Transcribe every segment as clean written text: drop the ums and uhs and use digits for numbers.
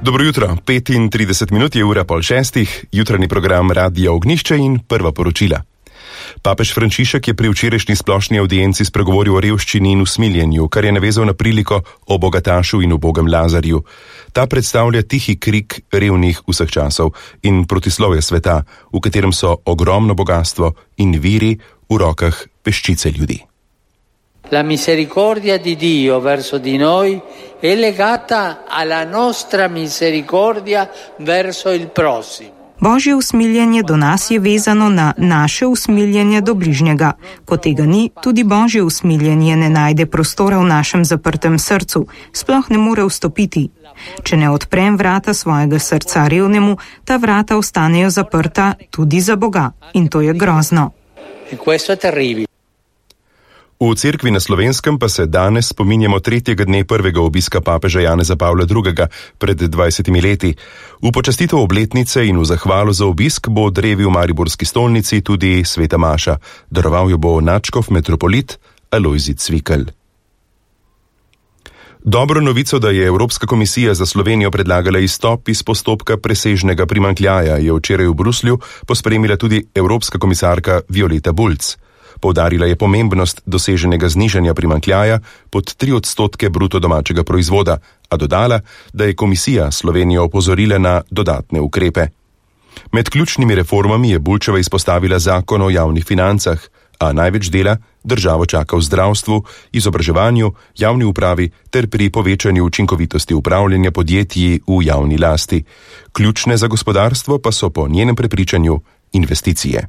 Dobro jutro, 35 minut je ura 5:30, jutranji program Radia Ognjišče in prva poročila. Papež Frančišek je pri včerajšnji splošni avdienci spregovoril o revščini in usmiljenju, kar je navezal na priliko o bogatašu in ubogem Lazarju. Ta predstavlja tihi krik revnih vseh časov in protislovje sveta, v katerem so ogromno bogatstvo in viri v rokah peščice ljudi. La misericordia di Dio verso di noi è legata alla nostra misericordia verso il prossimo. Božje usmiljenje do nas je vezano na naše usmiljenje do bližnjega. Ko tega ni, tudi Božje usmiljenje ne najde prostora v našem zaprtem srcu, sploh ne more vstopiti. Če ne odprem vrata svojega srca revnemu, ta vrata ostanejo zaprta tudi za Boga. In to je grozno. E questo è terribile. V cerkvi na Slovenskem pa se danes spominjamo 3. dne prvega obiska papeža Janeza Pavla II. Pred 20 leti. V počastitev obletnice in v zahvalo za obisk bo drevi v mariborski stolnici tudi sveta maša. Daroval jo bo nadškof metropolit Alojzij Cvikl. Dobro novico, da je Evropska komisija za Slovenijo predlagala izstop iz postopka presežnega primanjkljaja, je včeraj v Bruslju pospremila tudi evropska komisarka Violeta Bulc. Poudarila je pomembnost doseženega znižanja primanjkljaja pod 3% bruto domačega proizvoda, a dodala, da je komisija Slovenijo opozorila na dodatne ukrepe. Med ključnimi reformami je Bulčeva izpostavila zakon o javnih financah, a največ dela državo čaka v zdravstvu, izobraževanju, javni upravi ter pri povečanju učinkovitosti upravljanja podjetij v javni lasti. Ključne za gospodarstvo pa so po njenem prepričanju investicije.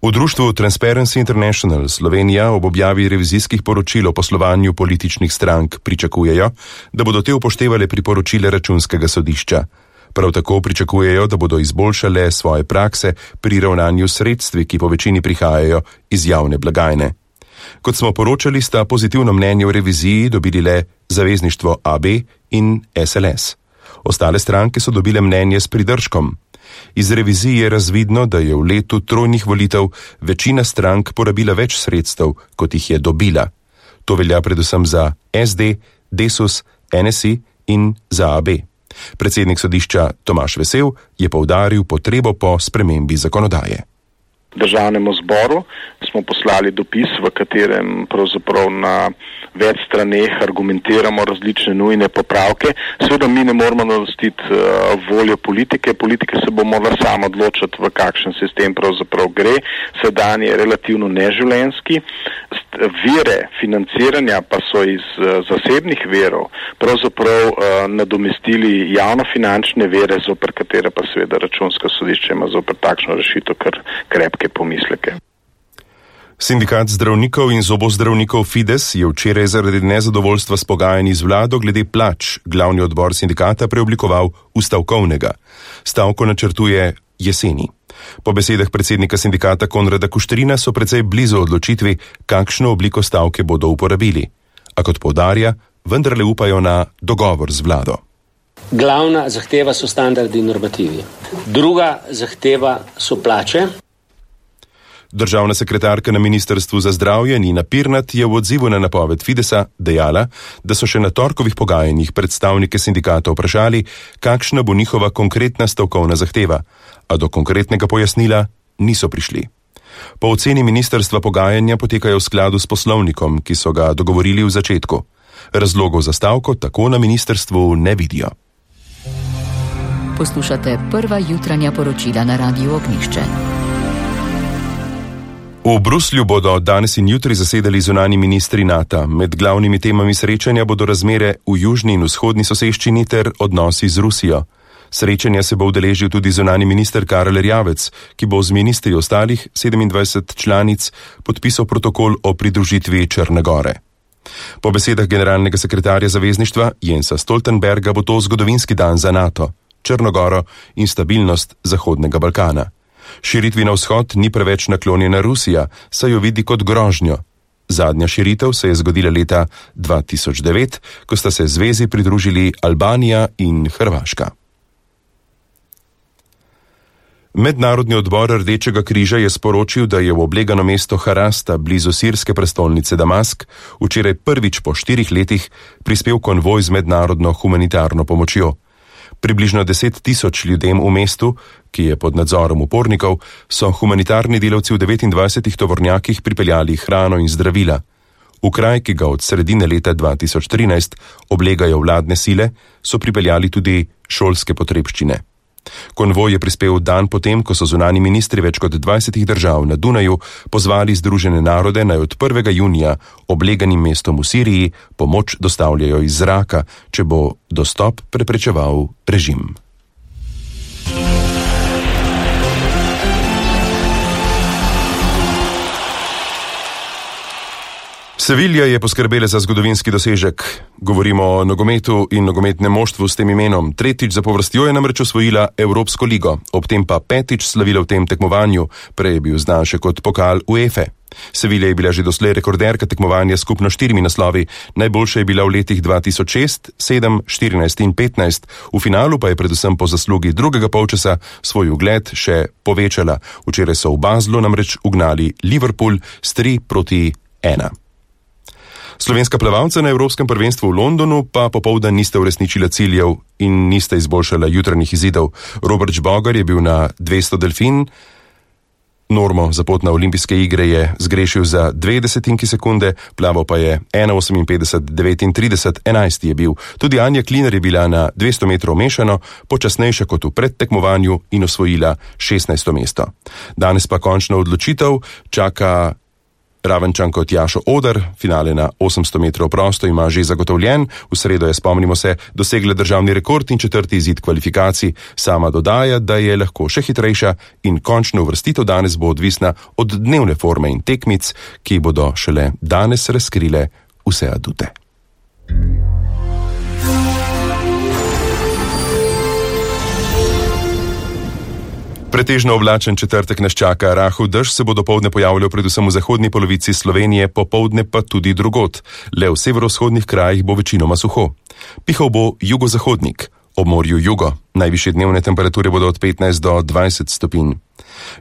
V društvu Transparency International Slovenija ob objavi revizijskih poročil o poslovanju političnih strank pričakujejo, da bodo te upoštevale priporočile Računskega sodišča. Prav tako pričakujejo, da bodo izboljšale svoje prakse pri ravnanju s sredstvi, ki po večini prihajajo iz javne blagajne. Kot smo poročali, sta pozitivno mnenje o reviziji dobili le Zavezništvo AB in SLS. Ostale stranke so dobile mnenje s pridržkom. Iz revizije je razvidno, da je v letu trojnih volitev večina strank porabila več sredstev, kot jih je dobila. To velja predvsem za SD, Desus, NSI in za AB. Predsednik sodišča Tomaž Vesel je poudaril potrebo po spremembi zakonodaje. Državnemu zboru smo poslali dopis, v katerem pravzaprav na več straneh argumentiramo različne nujne popravke. Seveda mi ne moramo nadomestiti voljo politike. Politika se bo morala sama odločiti, v kakšen sistem pravzaprav gre. Sedanji je relativno neživljenjski. Vire financiranja pa so iz zasebnih virov pravzaprav nadomestili javnofinančne vire, zoper katere pa seveda Računsko sodišče ima zoper takšno rešitev kar krepke pomisleke. Sindikat zdravnikov in zobozdravnikov Fides je včeraj zaradi nezadovoljstva s pogajanji z vlado glede plač glavni odbor sindikata preoblikoval v stavkovnega. Stavko načrtuje jeseni. Po besedah predsednika sindikata Konrada Kuštrina so precej blizu odločitvi, kakšno obliko stavke bodo uporabili. A kot poudarja, vendarle upajo na dogovor z vlado. Glavna zahteva so standardi in normativi. Druga zahteva so plače. Državna sekretarka na Ministrstvu za zdravje Nina Pirnat je v odzivu na napoved Fidesa dejala, da so še na torkovih pogajanjih predstavnike sindikata vprašali, kakšna bo njihova konkretna stavkovna zahteva, a do konkretnega pojasnila niso prišli. Po oceni ministrstva pogajanja potekajo v skladu s poslovnikom, ki so ga dogovorili v začetku. Razlogov za stavko tako na ministrstvu ne vidijo. Poslušate prva jutranja poročila na Radiu Ognjišče. V Bruslju bodo danes in jutri zasedali zunanji ministri NATO. Med glavnimi temami srečanja bodo razmere v južni in vzhodni soseščini ter odnosi z Rusijo. Srečanja se bo udeležil tudi zunanji minister Karel Erjavec, ki bo z ministri ostalih 27 članic podpisal protokol o pridružitvi Črne Gore. Po besedah generalnega sekretarja zavezništva Jensa Stoltenberga bo to zgodovinski dan za NATO, Črno Goro in stabilnost Zahodnega Balkana. Širitvi na vzhod ni preveč naklonjena Rusija, saj jo vidi kot grožnjo. Zadnja širitev se je zgodila leta 2009, ko sta se zvezi pridružili Albanija in Hrvaška. Mednarodni odbor Rdečega križa je sporočil, da je v oblegano mesto Harasta blizu sirske prestolnice Damask včeraj prvič po 4 letih prispel konvoj z mednarodno humanitarno pomočjo. Približno 10 000 ljudem v mestu, ki je pod nadzorom upornikov, so humanitarni delavci v 29 tovornjakih pripeljali hrano in zdravila. V kraj, ki ga od sredine leta 2013 oblegajo vladne sile, so pripeljali tudi šolske potrebščine. Konvoj je prispel dan potem, ko so zunanji ministri več kot 20 držav na Dunaju pozvali Združene narode, naj od 1. junija obleganim mestom v Siriji pomoč dostavljajo iz zraka, če bo dostop preprečeval režim. Sevilja je poskrbela za zgodovinski dosežek. Govorimo o nogometu in nogometnem moštvu s tem imenom. Tretjič zapovrstjo je namreč osvojila Evropsko ligo, ob tem pa 5. slavila v tem tekmovanju, prej je bil znan še kot pokal UEFA. Sevilja je bila že doslej rekorderka tekmovanja s skupno 4 naslovi, najboljša je bila v letih 2006, 7, 14 in 15, v finalu pa je predvsem po zaslugi drugega polčasa svoj ugled še povečala. Včeraj so v Baslu namreč ugnali Liverpool s 3-1. Slovenska plavalca na Evropskem prvenstvu v Londonu pa popoldan nista uresničila ciljev in nista izboljšala jutranjih izidov. Robert Žbogar je bil na 200 delfin, normo za pot na olimpijske igre je zgrešil za 0,2 sekunde, plaval pa je 1,58,39, 11 je bil. Tudi Anja Kliner je bila na 200 metrov mešano, počasnejša kot v predtekmovanju in osvojila 16. mesto. Danes pa končno odločitev čaka Ravenčanko Tjašo Oder, finale na 800 metrov prosto ima že zagotovljen, v sredo je, spomnimo se, dosegla državni rekord in 4. izid kvalifikacij. Sama dodaja, da je lahko še hitrejša in končna uvrstitev danes bo odvisna od dnevne forme in tekmic, ki bodo šele danes razkrile vse adute. Pretežno oblačen četrtek nas čaka, rahel dež se bo dopoldne pojavljal predvsem v zahodni polovici Slovenije, popoldne pa tudi drugod. Le v severovzhodnih krajih bo večinoma suho. Pihal bo jugozahodnik, ob morju jugo. Najvišje dnevne temperature bodo od 15 do 20 stopinj.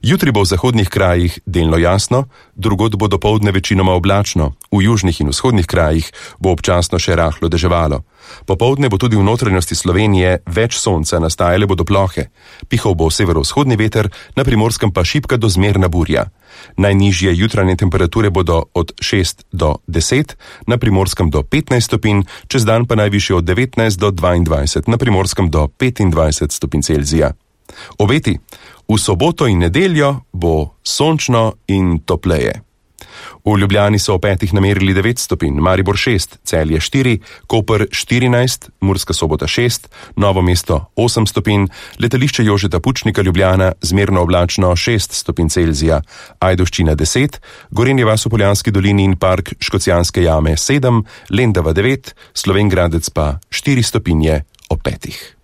Jutri bo v zahodnih krajih delno jasno, drugod bo dopoldne večinoma oblačno, v južnih in vzhodnih krajih bo občasno še rahlo deževalo. Popoldne bo tudi v notranjosti Slovenije več sonca, nastajale bodo plohe. Pihal bo severovzhodni veter, na Primorskem pa šibka do zmerna burja. Najnižje jutranje temperature bodo od 6 do 10, na Primorskem do 15 stopinj, čez dan pa najvišje od 19 do 22, na Primorskem do 25 stopinj Celzija. Obeti: v soboto in nedeljo bo sončno in topleje. V Ljubljani so ob 5 namerili 9 stopinj, Maribor 6, Celje 4, Koper 14, Murska Sobota 6, Novo mesto 8 stopinj, letališče Jožeta Pučnika Ljubljana zmerno oblačno 6 stopinj Celzija, Ajdovščina 10, Gorenje vas v Poljanski dolini in park Škocjanske jame 7, Lendava 9, Slovenj Gradec pa 4 stopinje ob 5.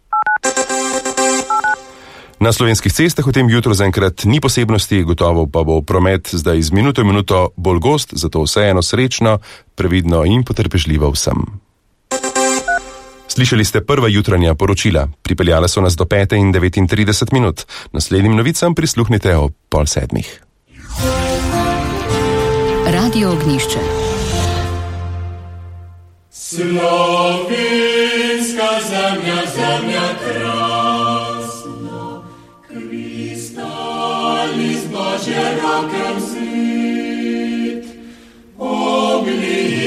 Na slovenskih cestah v tem jutru zaenkrat ni posebnosti, gotovo pa bo promet zdaj z minuto in minuto bolj gost, zato vseeno srečno, previdno in potrpežljivo vsem. Slišali ste prva jutranja poročila, pripeljala so nas do 5:39. Naslednjim novicam prisluhnite ob 6:30. Radio Ognjišče.